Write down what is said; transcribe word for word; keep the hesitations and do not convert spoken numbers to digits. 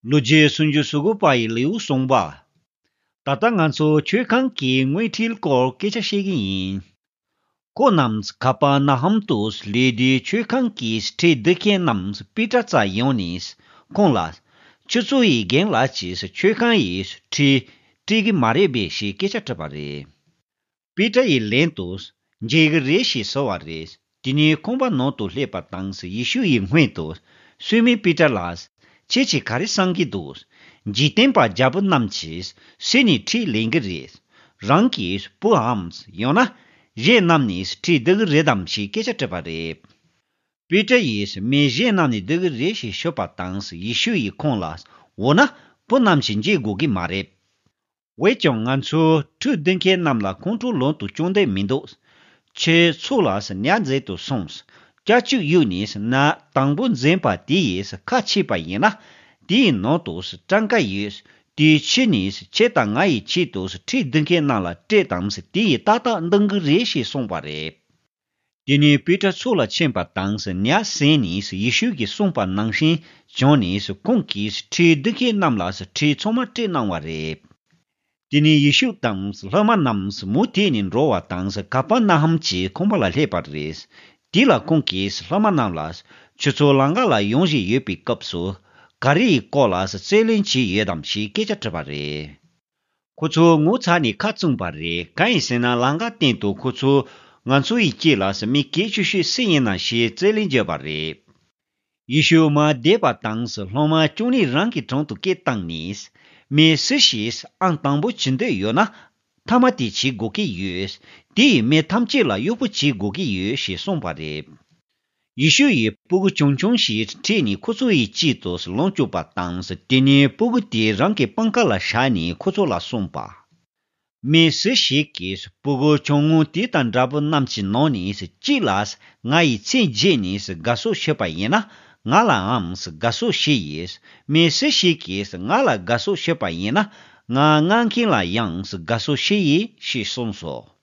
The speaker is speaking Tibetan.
ལོ་རྒྱུས་སུམ་ཅུ་སོ་དགུ་པ་ཡི་ལེའུ་གསུངས་པ། ད་ལྟ་ང་ཚོ་མཆོད་ཁང་གི་དངུལ་ཁྲིའི་སྐོར་སྐད་ཆ་བཤད་ཀྱི་ཡིན། ཁོ་རྣམས་ཁ་པར་ན་ཧམ་དུ་སླེབས་དུས་མཆོད་ཁང་གི་ཁྲལ་བསྡུ་མཁན་རྣམས་པི་ཏྲ་རྩར་ཡོང་ནས་ཁོང་ལ། ཁྱོད་ཚོ་ཡི་རྒན་ལགས་ཀྱིས་མཆོད་ཁང་ཡི་ཁྲལ་སྤྲད་ཀྱི་མ་རེད་པས་ཞེས་སྐད་ཆ་དྲིས་པ་རེད། པེ་ཏྲ་ཡིས་ལན་དུ། འཇལ་གྱི་རེད་ཞེས་ཟེར་བ་རེད། དེ་ནས་ཁང་པ་ནང་དུ་སླེབས་པ་དང་ཡེ་ཤུ་ཡིས་སྔོན་དུ། སུས་མིན་པེ་ཏྲ་ལ། ཁྱེད་ཀྱིས་ག་རེ་བསམ་གྱི་འདུག་འཇིག་རྟེན་པ་རྒྱལ་པོ་རྣམས་ཀྱིས་སུ་ནས་ཁྲལ་ལེན་གྱི་རེད། རང་གི་བུའམ་ཡང་ན། གཞན་རྣམས་ནས་ཁྲལ་བསྡུ་གི་རེད་དམ་ཞེས་སྐད་ཆ་དྲིས་པ་རེད། པེ་ཏྲ་ཡིས་མི་གཞན་རྣམས་ནས་བསྡུ་གི་རེད་ཞེས་ཤོད་པ་དང་ཡེ་ཤུ་ཡིས་ཁོང་ལ། འོ་ན། བུ་རྣམས་ཀྱིས་འཇལ་དགོས་ཀྱི་མ་རེད། འོན་ཀྱང་ང་ཚོས་ཁྲལ་བསྡུ་མཁན་རྣམས་ལ་ཁོང་ཁྲོ་ལངས་དུ་བཅུག་འདོད་མི་འདུག་ཁྱེད་ཚོ་ལ་ཉར་འཛིན་དུ་སོང་། སྐྱ་གཅིག་གཡུགས་ནས་ཉར་དང་པོ་འཛིན་པ་དེ་ཡིས་ཁ་ཕྱེས་པ་ཡིན་ན། དེའི་ནང་དུ་སྤྲང་ཀ་ཡོད། དེའི་ཕྱི་ནས་ཁྱེད་དང་ང་ཡི་ཆེད་དུ་ཁྲལ་བསྡུ་མཁན་རྣམས་ལ་སྤྲད་དང་དེ་ཡིས་ཏག་ཏག་འདང་གི་རེད་ཞེས་གསུངས་པ་རེད། དེ་ནས་པེ་ཏྲ་ཚུར་ལ་ཕྱིན་པ་དང་ཉར་ཟིན་ནས་ཡེ་ཤུ་གིས་གསུངས་པ་ནང་བཞིན་བྱུང་ནས་ཁོང་གིས་ཁྲལ་བསྡུ་མཁན་རྣམས་ལ་ཁྲལ་ཚང་མ་སྤྲད་གནང་བ་རེད། དེ་ནས་ཡེ་ཤུ་དང་སློབ་མ་རྣམས་མུ་མཐུད་ནས་འགྲོ་བ་དང་ཀ་པར་ན་ཧམ་གྱི་ཁང་པ་ལ་སླེབས་པ་རེད། དེ་ལ་ཁོང་གིས་སློབ་མ་རྣམས་ལ། ཁྱོད་ཚོ་ལམ་ཁ་ལ་ཡོང་བཞིན་ཡོད་པའི་སྐབས་སུ། ག་རེ་ཡི་སྐོར་ལ་རྩོད་གླེང་བྱས་ཡོད་དམ་ཞེས་སྐད་ཆ་དྲིས་པ་རེད། ཁོ་ཚོ་ངོ་ཚ་ནས་ཁ་བཙུམས་པ་རེད། གང་ཡིན་ཟེར་ན་ལམ་ཁ་སྟེང་དུ་ཁོ་ཚོས་ང་ཚོ་ཡི་དཀྱིལ་ལ་མི་སྐད་ཤོད་ཤོད་སུ་ཡིན་ན་ཞེས་རྩོད་གླེང་བརྒྱབ་པ་རེད། ཡེ་ཤུ་མར་བསྡད་པ་དང་སློབ་མ་བཅུ་གཉིས་རང་གི་དྲུང་དུ་སྐད་བཏང་ནས། མི་སུ་ཞིག་ཨང་དང་པོ་བྱེད་འདོད་ཡོད་ན། ཐ་མ་དེ་བྱེད་དགོས་ཀྱི་ཡོད། དེ་ཡིས་མི་ཐམས་ཅད་ལ་གཡོག་པོ་བྱེད་དགོས་ཀྱི་ཡོད་ཞེས་གསུངས་པ་རེད། ཡེ་ཤུ་ཡིས་སྤུ་གུ་ཆུང་ཆུང་ཞིག་ཁྲིད་ནས་ཁོ་ཚོ་ཡི་དཀྱིལ་དུ་ལོངས་སྤྱོད་པ་དང་། དེ་ནས་སྤུ་གུ་དེ་རང་གི་པང་ཁ་ལ་བཞག་ནས་ཁོ་ཚོ་ལ་གསུངས་པ། མི་སུ་ཞིག་གིས་སྤུ་གུ་ཆུང་ངུ་དེ་དང་འདྲ་པོ་རྣམས་ཀྱི་ནང་ནས་གཅིག་ལ་ང་ཡི་མཚན་བརྗེས་ནས་དགའ་བསུ་ཞུས་པ་ཡིན་ན། ང་ལའང་དགའ་བསུ་ཞུ་ཡིས། མི་སུ་ཞིག་གིས་ང་ལ་དགའ་བསུ་ཞུས་པ་ཡིན་ན། ང་མངགས་མཁན་ལ་ཡང་དགའ་བསུ་ཞུ་ཡིས་ཞེས་གསུངས་སོ།